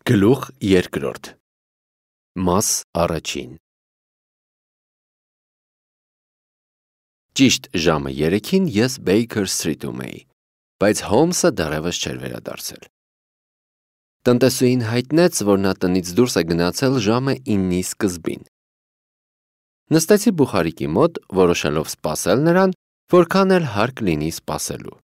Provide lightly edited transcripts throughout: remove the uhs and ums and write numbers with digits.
Գլուխ երկրորդ Մաս առաջին Ճիշտ ժամը 3-ին ես Baker Street-ում էի, բայց Հոլմսը դեռևս չէր վերադարձել։ Տնտեսուհին հայտնեց, որ նա տնից դուրս է գնացել ժամը 9-ի սկզբին։ Նստեցի բուխարիկի մոտ, որոշելով սպասել նրան, որքան էլ հարկ լինի սպասելու։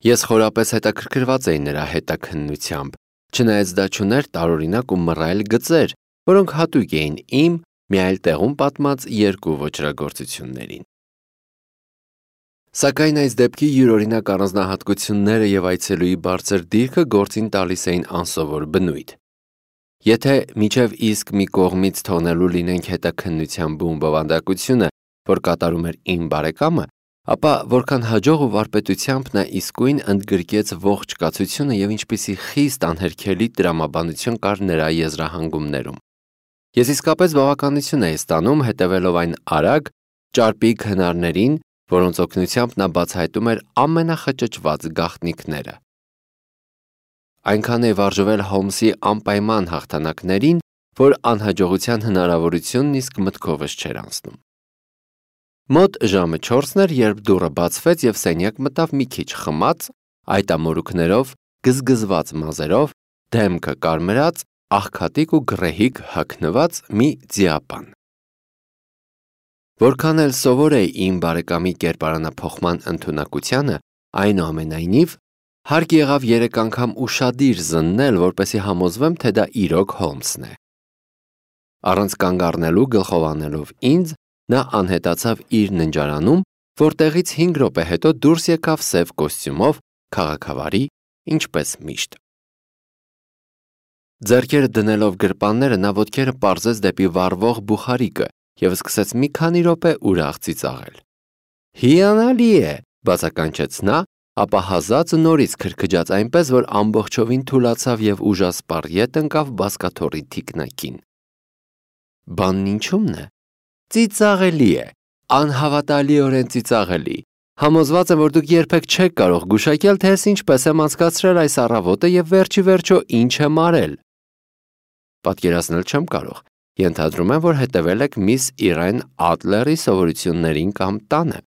Ես խորապես հետաքրքրված էի նրա հետաքննությամբ, չնայած դա չուներ տարօրինակ ու մռայլ գծեր, որոնք հատուկ էին իմ մի այլ տեղում պատմած երկու ոճրագործություններին։ Սակայն այս դեպքի յուրօրինակ առանձնահատկությունները եւ այցելուի բարձր դիրքը գործին տալիս էին անսովոր բնույթ։ Եթե միջև իսկ մի կողմից թողնելու լինենք հետաքննության բուն բովանդակությունը, որ կատարում էր իմ բարեկամը, ապա որքան հաջող ու վարպետությամբ նա իսկույն ընդգրկեց ողջ կացությունը եւ ինչպիսի խիստ անհերքելի տրամաբանություն կար նրա եզրահանգումներում։ Ես իսկապես բավականություն էի ստանում հետևելով այն արագ, ճարպիկ հնարներին, որոնց օգնությամբ նա բացահայտում էր ամենախճճված գաղտնիքները։ Այնքան է վարժվել Հոլմսի անպայման հաղթանակներին, որ անհաջողության հնարավորությունն իսկ մտքովս չէր անցնում։ Մոտ ժամը 4-ն էր, երբ դուռը բացվեց եւ սենյակ մտավ մի քիչ խմած, այտամորուքներով, գզգզված մազերով, դեմքը կարմրած, աղքատիկ ու գռեհիկ հագնված մի ձիապան։ Որքան էլ սովոր էի իմ բարեկամի կերպարանափոխման ընդունակությանը, այնուամենայնիվ հարկ եղավ 3 անգամ ուշադիր զննել, որպեսզի համոզվեմ, թե դա իրոք Հոլմսն է։ Առանց կանգ առնելու գլխով անելով ինձ, նա անհետացավ իր ննջարանում, որտեղից 5 րոպե հետո դուրս եկավ սև կոստյումով, քաղաքավարի, ինչպես միշտ։ Ձեռքերը դնելով գրպանները, նա ոտքերը պարզեց դեպի վառվող բուխարիկը եւ սկսեց մի քանի րոպե ուրախ ծիծաղել։ «Հիանալի է», բացականչեց նա, ապա հազած նորից քրքջաց այնպես, որ ամբողջովին թուլացավ եւ ուժասպառ ետ ընկավ բազկաթոռի թիկնակին։ Բանն ինչու՞մն է։ Ծիծաղելի է, անհավատալիորեն ծիծաղելի։ Համոզված եմ, որ դուք երբեք չեք կարող գուշակել, թե ես ինչպես եմ անցկացրել այս առավոտը եւ վերջի վերջո ինչ եմ արել։ Պատկերացնել չեմ կարող։ Ենթադրում եմ, որ հետևել եք միս Իրեն Ադլերի սովորություններին կամ տանը։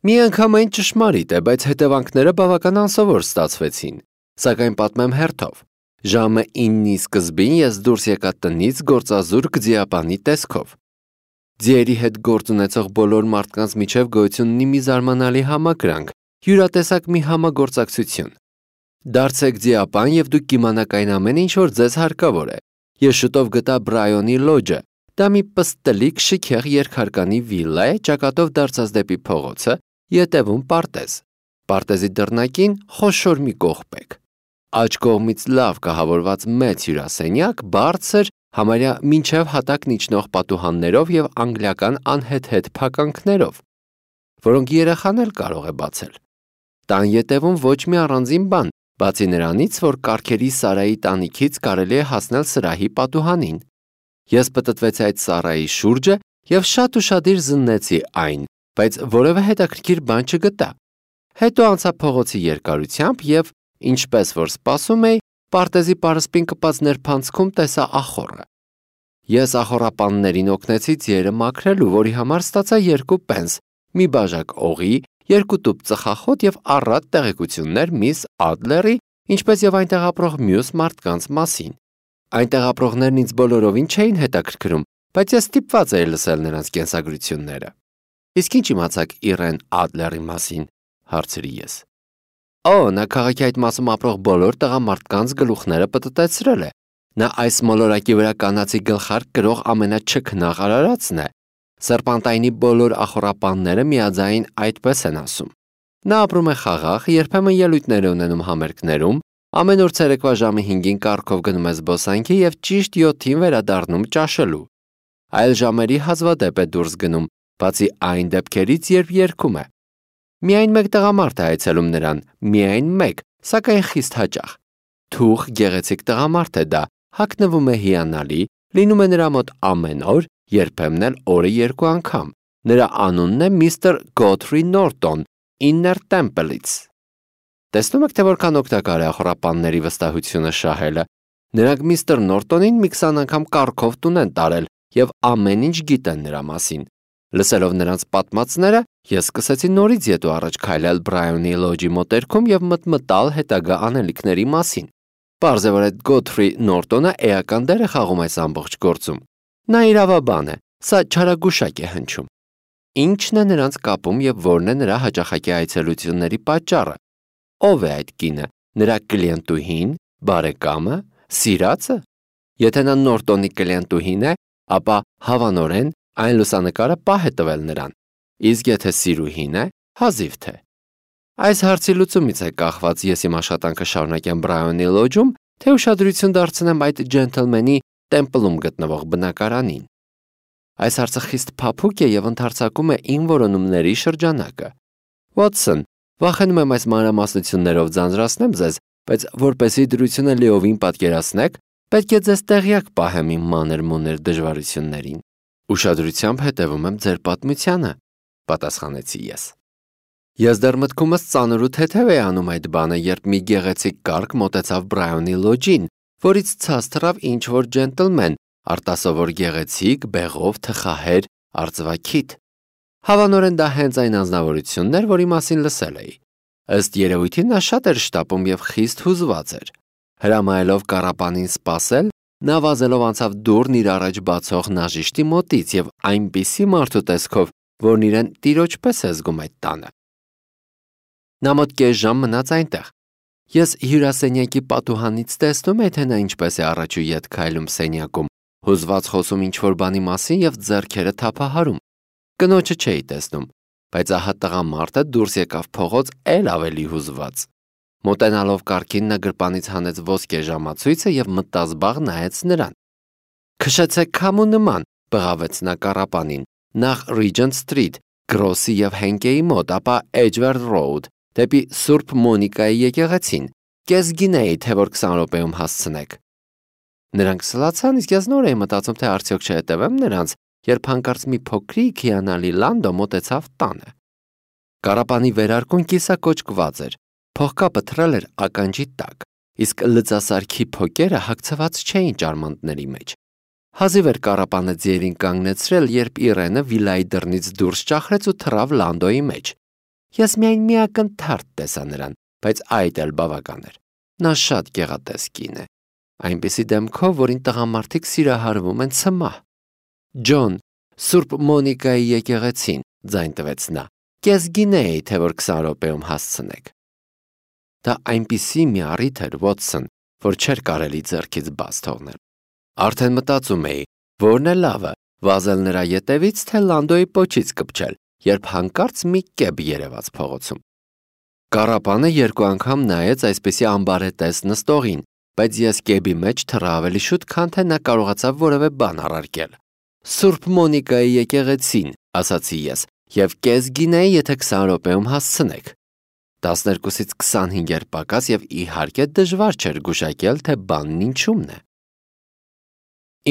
Միանգամայն ճշմարիտ է, բայց հետևանքները բավական անսովոր ստացվեցին։ Սակայն պատմեմ հերթով։ Ժամը 9-ի սկզբին ես դուրս եկա տնից գործազուրկ ձիապանի տեսքով։ Ձիերի հետ գործ ունեցող բոլոր մարդկանց միջև գոյություն ունի մի զարմանալի համակրանք, յուրատեսակ մի համագործակցություն։ Դարձեք ձիապան եւ դուք կիմանաք այն ամենը, ինչ որ ձեզ հարկավոր է։ Ես շուտով գտա Բրայոնի լոջը։ Դա մի պստլիկ շքեղ երկհարկանի վիլլա է, ճակատով դարձած դեպի փողոցը, ետևում պարտեզ։ Պարտեզի դռնակին խոշոր մի կողպեկ։ Աջ կողմից լավ կահավորված մեծ հյուրասենյակ, բարձր, համարյա մինչև հատակն իջնող պատուհաններով եւ անգլիական անհետ փականքներով, որոնք երեխան էլ կարող է բացել։ Տան ետևում ոչ մի առանձին բան, բացի նրանից, որ կառքերի Սարայի տանիքից կարելի է հասնել սրահի պատուհանին։ Ես պտտվեցի այդ սարայի շուրջը եւ շատ ուշադիր զննեցի այն, բայց որևէ հետաքրքիր բան չգտա։ Հետո անցա փողոցի երկարությամբ եւ, ինչպես որ սպասում էի, պարտեզի պարսպին կպած ներփանցքում տեսա ախոռը։ Ես ախոռապաններին օգնեցի ձիերը մաքրելու, որի համար ստացա 2 պենս, մի բաժակ օղի, 2 տուփ ծխախոտ եւ առատ տեղեկություններ միս Ադլերի, ինչպես եւ այնտեղ ապրող մյուս մարդկանց մասին։ Այնտեղ ապրողներն ինձ բոլորովին չէին հետաքրքրում, բայց ես ստիպված էի լսել նրանց կենսագրությունները։ Իսկ ինչ իմացաք Իրեն Ադլերի մասին, հարցրի ես։ Նա քաղաքի այդ մասում ապրող բոլոր տղամարդկանց գլուխները պտտեցրել է։ Նա այս մոլորակի վրա կանացի գլխարկ կրող ամենաչքնաղ արարածն է։ Սերպանտայնի բոլոր ախոռապանները միաձայն այդպես են ասում։ Նա ապրում է խաղաղ, երբեմն ելույթներ է ունենում համերգներում, ամեն օր ցերեկվա ժամը 5-ին կառքով գնում է զբոսանքի եւ ճիշտ 7-ին վերադառնում ճաշելու։ Այլ ժամերի հազվադեպ է դուրս գնում, բացի այն դեպքերից, երբ երգում է։ Միայն մեկ տղամարդ է այցելում նրան, միայն մեկ, սակայն խիստ հաճախ։ Թուխ գեղեցիկ տղամարդ է դա, հագնվում է հիանալի, լինում է նրա մոտ ամեն օր, երբեմն էլ օրը 2 անգամ։ Նրա անունն է միստր Գոթրի Նորտոն, Իններ Տեմպլից։ Տեսնում եք, թե որքան օգտակար է ախորապանների վստահությունը շահելը։ Նրանք միստր Նորտոնին մի 20 անգամ կառքով տուն են տարել եւ ամեն ինչ գիտեն նրա մասին։ Լսելով նրանց պատմածները, ես սկսեցի նորից ետու առաջ քայլել Բրայանի լոջի մոտերքում եւ մտմտալ հետագա անելիքների մասին։ Պարզ է, որ այդ Գոթֆրի Նորտոնը էական դեր է խաղում այս ամբողջ գործում։ Նա իրավաբան է, սա չարագուշակ է հնչում։ Ինչն է նրանց կապում եւ որն է նրա հաճախակի այցելությունների պատճառը։ Ով է այդ կինը, նրա կլիենտուհին, բարեկամը, սիրածը։ Եթե նա Նորտոնի կլիենտուհին է, ապա հավանորեն այն լուսանկարը պահ է տվել նրան, իսկ եթե սիրուհին է, հազիվ թե։ Այս հարցի լուծումից է կախված ես իմ աշխատանքը շարունակեմ Բրայանի լոջում, թե ուշադրություն դարձնեմ այդ ջենթլմենի տեմպլում գտնվող բնակարանին։ Այս հարցը խիստ փափուկ է եւ ընդարձակում է իմ որոնումների շրջանակը։ Վոթսոն, վախենում եմ այս մանրամասնություններով ձանձրացնեմ ձեզ, բայց որպեսզի դրությունը լիովին պատկերացնեք, պետք է ձեզ տեղյակ պահեմ իմ մանր-մունր դժվարություններին։ Ուշադրությամբ հետևում եմ ձեր պատմությանը, պատասխանեցի ես։ Ես դեռ մտքումս ծանր ու թեթև էի անում այդ բանը, երբ մի գեղեցիկ կառք մոտեցավ Բրայանի լոջին, որից ցած թռավ ինչ-որ ջենտլմեն, արտասովոր գեղեցիկ, բեղով, թխահեր, արծվաքիթ։ Հավանորեն դա հենց այն անձնավորությունն էր, որի մասին լսել էի։ Ըստ երևույթին նա շատ էր շտապում եւ խիստ հուզված էր։ Հրամայելով կառապանին սպասել, նա վազելով անցավ դուռն իր առաջ բացող նաժիշտի մոտից եւ այնպիսի մարդու տեսքով, որն իրեն տիրոջ պես է զգում այդ տանը։ Նա մոտ կես ժամ մնաց այնտեղ։ Ես հյուրասենյակի պատուհանից տեսնում էի, թե նա ինչպես է առաջ ու ետ քայլում սենյակում, հուզված խոսում ինչ-որ բանի մասին եւ ձեռքերը թափահարում։ Կնոջը չէի տեսնում, բայց ահա տղամարդը դուրս եկավ փողոց էլ ավելի հուզված։ Մոտենալով կառքին նա գրպանից հանեց ոսկե ժամացույցը եւ մտազբաղ նայեց նրան։ Քշեցեք քամու նման, բղավեց նա կառապանին, նախ Regent Street, Գրոսի եւ Հենկեի մոտ, ապա Edgware Road, դեպի Սուրբ Մոնիկայի եկեղեցին։ Կես գինեի, թե որ 20 րոպեում հասցնեք։ Նրանք սլացան, իսկ ես նոր էի մտածում, թե արդյոք չհետևեմ նրանց, երբ հանկարծ մի փոքրիկ հիանալի Լանդո մոտեցավ տանը։ Կառապանի վերարկուն կիսակոճկված էր, փողկապը թռել էր ականջի տակ, իսկ լծասարքի փոկերը հագցված չէին ճարմանտների մեջ։ Հազիվ էր կառապանը ձիերին կանգնեցրել, երբ Իրենը վիլայի դռնից դուրս ճախրեց ու թռավ Լանդոյի մեջ։ Ես միայն մի ակնթարթ տեսա նրան, բայց այդ էլ բավական էր։ Նա շատ գեղատես կին է, այնպիսի դեմքով, որին տղամարդիկ սիրահարվում են ցմահ։ Ջոն, Սուրբ Մոնիկայի եկեղեցին, ձայն տվեց նա։ Կես գինեի, թե որ 20 րոպեում հասցնեք։ Դա այնպիսի մի առիթ էր, Վոթսոն, որ չէր կարելի ձեռքից բաց թողնել։ Արդեն մտածում էի, որն է լավը, վազել նրա ետևից, թե Լանդոյի պոչից կպչել, երբ հանկարծ մի կեբ երևաց փողոցում։ Կառապանը երկու անգամ նայեց այսպիսի ամբարետես նստողին, բայց ես կեբի մեջ թռա ավելի շուտ, քան թե նա կարողացավ որևէ բան առարկել։ Սուրբ Մոնիկայի եկեղեցին, ասացի ես, եւ կես գինեի, եթե 20 րոպեում հասցնեք։ 12-ից 25 էր պակաս եւ իհարկե դժվար չէր գուշակել, թե բանն ինչումն է։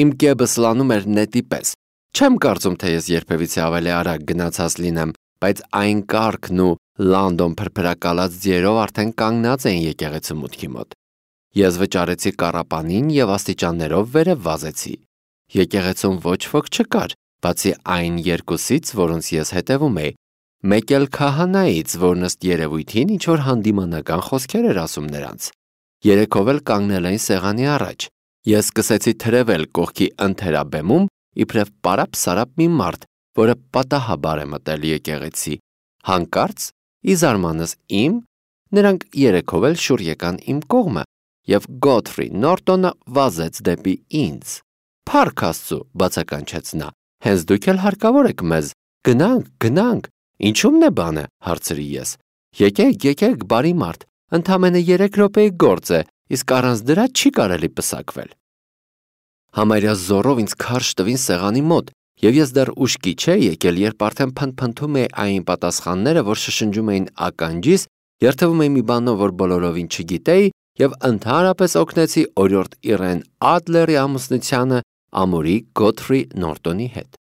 Իմ կեբը սլանում էր նետի պես։ Չեմ կարծում, թե ես երբևիցե ավելի արագ գնացած լինեմ, բայց այն կառքն ու Լանդոն փրփրակալած ձիերով արդեն կանգնած էին եկեղեցու մուտքի մոտ։ Ես վճարեցի կառապանին եւ աստիճաններով վերև վազեցի։ Եկեղեցում ոչ ոք չկար, բացի այն երկուսից, որոնց ես հետևում էի։ Մեկ էլ քահանայից, որն ըստ երևույթին ինչ-որ հանդիմանական խոսքեր էր ասում նրանց։ Երեքով էլ կանգնել էին սեղանի առաջ։ Ես սկսեցի թրևել կողքի ընթերաբեմում, իբրև պարապ-սարապ մի մարդ, որը պատահաբար է մտել եկեղեցի։ Հանկարծ, ի զարմանս իմ, նրանք երեքով էլ շուռ եկան իմ կողմը, եւ Գոթֆրի Նորտոնը վազեց դեպի ինձ։ Փառք Աստծո, բացականչեց նա, հենց դուք էլ հարկավոր եք մեզ։ Գնանք, ինչումն է բանը, հարցրի ես։ Եկեք, բարի մարդ, ընդամենը 3 րոպեի գործ է, իսկ առանց դրա չի կարելի պսակվել։ Համարյա զորով ինձ քարշ տվին սեղանի մոտ, եւ ես դեռ ուշքի չէի եկել, երբ արդեն փնփնթում էի այն պատասխանները, որ շշնջում էին ականջիս, երթվում էի մի բանով, որ բոլորովին չգիտեի, եւ ընդհանրապես օգնեցի օրիորդ Իրեն Ադլերի ամուսնությանը ամուրի Գոթֆրի Նորտոնի հետ։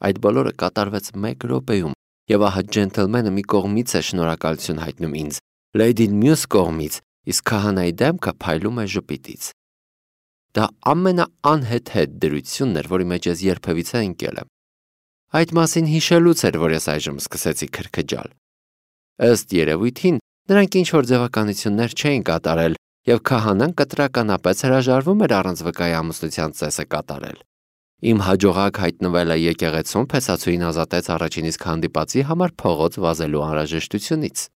Այդ բոլորը կատարվեց 1 րոպեում, եւ ահա ջենթլմենը մի կողմից է շնորհակալություն հայտնում ինձ, Լեյդին մյուս կողմից, իսկ քահանայի դեմքը փայլում է ժպիտից։ Դա ամենաանհեթեթ դրությունն էր, որի մեջ ես երբևիցե ընկել եմ։ Այդ մասին հիշելուց էր, որ ես այժմ սկսեցի քրքջալ։ Ըստ երևույթին, նրանք ինչ-որ ձևականություններ չէին կատարել, և քահանան կտրականապես հրաժարվում էր առանց վկայի ամուսնության ծեսը կատարել։ Իմ հաջողակ հայտնվելը եկեղեցում փեսացուին ազատեց առաջին իսկ հանդիպածի համար փողոց վազելու անհրաժեշտությունից։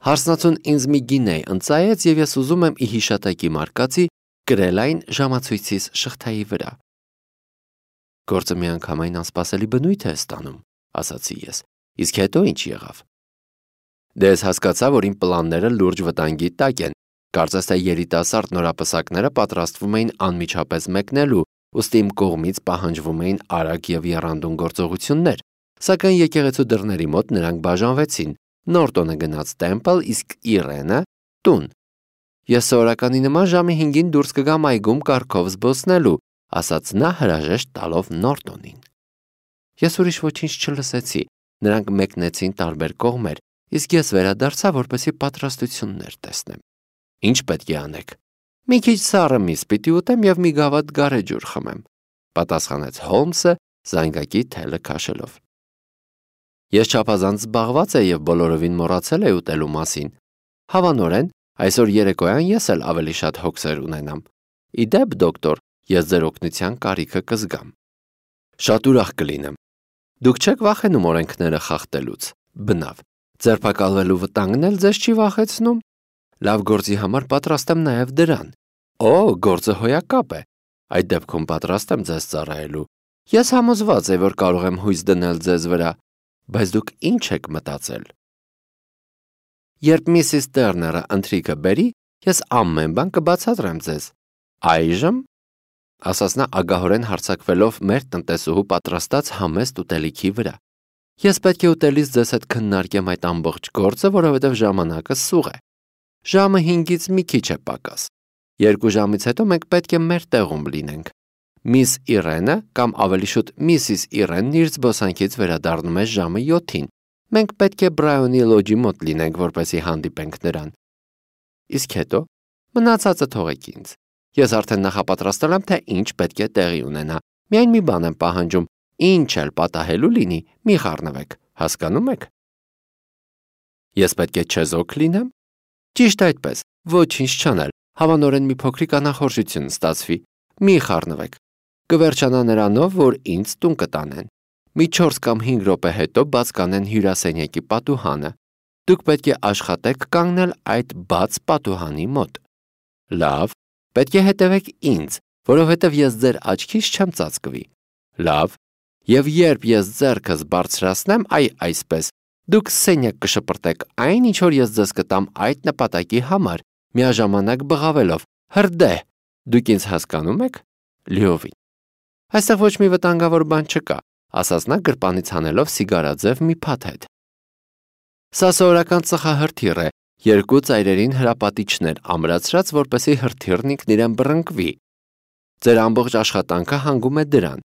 Հարսնացուն ինձ մի գինե ընծայեց, և ես ուզում եմ ի հիշատակի մարկածի կրել այն ժամացույցիս շղթայի վրա։ Գործը միանգամայն անսպասելի բնույթ է ստանում, ասացի ես, իսկ հետո ինչ եղավ։ Դե ես հասկացա, որ իմ պլանները լուրջ վտանգի տակ են, կարծես թե երիտասարդ նորապսակները պատրաստվում էին անմիջապես մեկնելու, ուստի իմ կողմից պահանջվում էին արագ և եռանդուն գործողություններ, սակայն եկեղեցու դռների մոտ նրանք բաժանվեցին, Նորտոնը գնաց տեմպլ, իսկ Իրենը տուն։ Ես սովորականի նման ժամի 5-ին դուրս կգամ այգում կառքով զբոսնելու, ասաց նա հրաժեշտ տալով Նորտոնին։ Ես ուրիշ ոչինչ չլսեցի, նրանք մեկնեցին տարբեր կողմեր, իսկ ես վերադարձա, որպեսզի պատրաստություններ տեսնեմ։ Ինչ պետք է անեք։ Մի քիչ սառը միս պիտի ուտեմ և մի գավաթ գարեջուր խմեմ, պատասխանեց Հոլմսը զանգակի թելը քաշելով։ Ես չափազանց զբաղված եմ և բոլորովին մոռացել եմ ուտելու մասին։ Հավանորեն, այսօր երեկոյան ես էլ ավելի շատ հոգսեր ունենամ։ Ի դեպ, դոկտոր, ես ձեր օգնության կարիքը կզգամ։ Շատ ուրախ կլինեմ։ Դուք չեք վախենում օրենքները խախտելուց։ Բնավ, ձերբակալվելու վտանգն էլ ձեզ չի վախեցնում։ Լավ գործի համար պատրաստ եմ նաև դրան։ Օ, գործը հոյակապ է։ Այդ դեպքում պատրաստ եմ ձեզ ծառայելու։ Ես համոզված եմ, որ կարող եմ հույս դնել ձեզ վրա, բայց դուք ինչ եք մտածել։ Երբ Միսիս Տերները ընթրիքը բերի, ես ամեն բան կբացատրեմ ձեզ։ Այժմ, ասաց նա ագահորեն հարձակվելով մեր տնտեսուհու պատրաստած համեստ ուտելիքի վրա։ Ես պետք է ուտելիս ձեզ հետ քննարկեմ այդ ամբողջ գործը, որովհետև ժամանակը սուղ է։ Ժամը 5-ից մի քիչ է պակաս։ 2 ժամից հետո մենք պետք է մեր տեղում լինենք։ Միս Իրենը, կամ ավելի շուտ Միսիս Իրենն իր զբոսանքից վերադառնում է ժամը 7-ին։ Մենք պետք է Բրայոնի լոջի մոտ լինենք, որպեսզի հանդիպենք նրան։ Իսկ հետո մնացածը թողեք ինձ։ Ես արդեն նախապատրաստել եմ, թե ինչ պետք է տեղի ունենա։ Միայն մի բան եմ պահանջում, ինչ էլ պատահելու լինի, մի խառնվեք, հասկանում եք։ Ես պետք է չեզոք լինեմ։ Ճիշտ այդպես, ոչինչ չանել, հավանորեն մի փոքրիկ անախորժություն ստացվի, մի խառնվեք։ Կվերջանա նրանով, որ ինձ տուն կտանեն։ Մի 4 կամ 5 րոպե հետո բաց կանեն հյուրասենյակի պատուհանը։ Դուք պետք է աշխատեք կանգնել այդ բաց պատուհանի մոտ։ Լավ, պետք է հետևեք ինձ, որովհետև ես ձեր աչքից չեմ ծածկվի։ Լավ, և երբ ես ձեռքս բարձրացնեմ, այսպես, դուք սենյակ կշպրտեք այն, ինչ որ ես ձեզ կտամ այդ նպատակի համար, միաժամանակ բղավելով. հրդեհ, դուք ինձ հասկանում եք։ Լիովին։ Այստեղ ոչ մի վտանգավոր բան չկա, ասաց նա գրպանից հանելով սիգարաձև մի փաթեթ։ Սա սովորական ծխահրթիռ է, 2 ծայրերին հրապատիչներ ամրացրած, որպեսզի հրթիռն ինքն իրեն բռնկվի։ Ձեր ամբողջ աշխատանքը հանգում է դրան։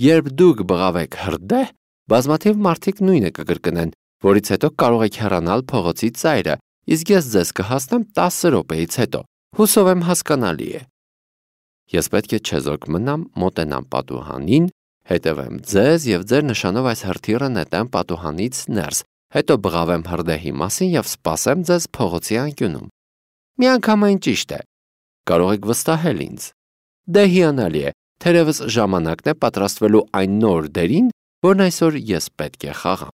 Երբ դուք բղավեք հրդեհ, բազմաթիվ մարդիկ նույնը կկրկնեն, որից հետո կարող եք հեռանալ փողոցի ծայրը, իսկ ես ձեզ կհասնեմ 10 րոպեից հետո։ Հուսով եմ հասկանալի է։ Ես պետք է չեզոք մնամ, մոտենամ պատուհանին, հետևեմ ձեզ և ձեր նշանով այս հրթիռը նետեմ պատուհանից ներս, հետո բղավեմ հրդեհի մասին և սպասեմ ձեզ փողոցի անկյունում։ Միանգամայն ճիշտ է։ Կարող եք վստահել ինձ։ Դե հիանալի է, թերևս ժամանակն է պատրաստվելու այն նոր դերին, որն այսօր ես պետք է խաղամ։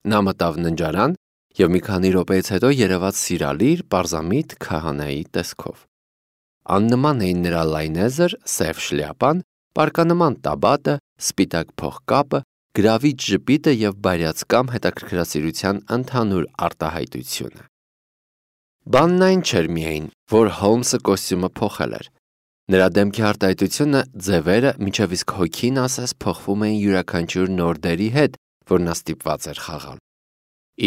Նա մտավ ննջարան և մի քանի րոպեից հետո երևաց սիրալիր, պարզամիտ քահանայի տեսքով։ Աննման էին նրա լայնեզր, սև շլյապան, պարկանման տաբատը, սպիտակ փողկապը, գրավիչ ժպիտը և բարյացկամ հետաքրքրասիրության ընդհանուր արտահայտությունը։ Բանն այն չէր միայն, որ Հոլմսը կոստյումը փոխել էր։ Նրա դեմքի արտահայտությունը, ձևերը, մինչև իսկ հոգին ասես փոխվում էին յուրաքանչյուր նոր դերի հետ, որ նա ստիպված էր խաղալ։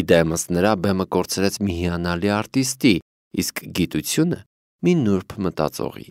Իդեմս նրա բեմը կորցրեց մի հիանալի արտիստի, իսկ գիտությունը՝ մի նուրբ մտածողի։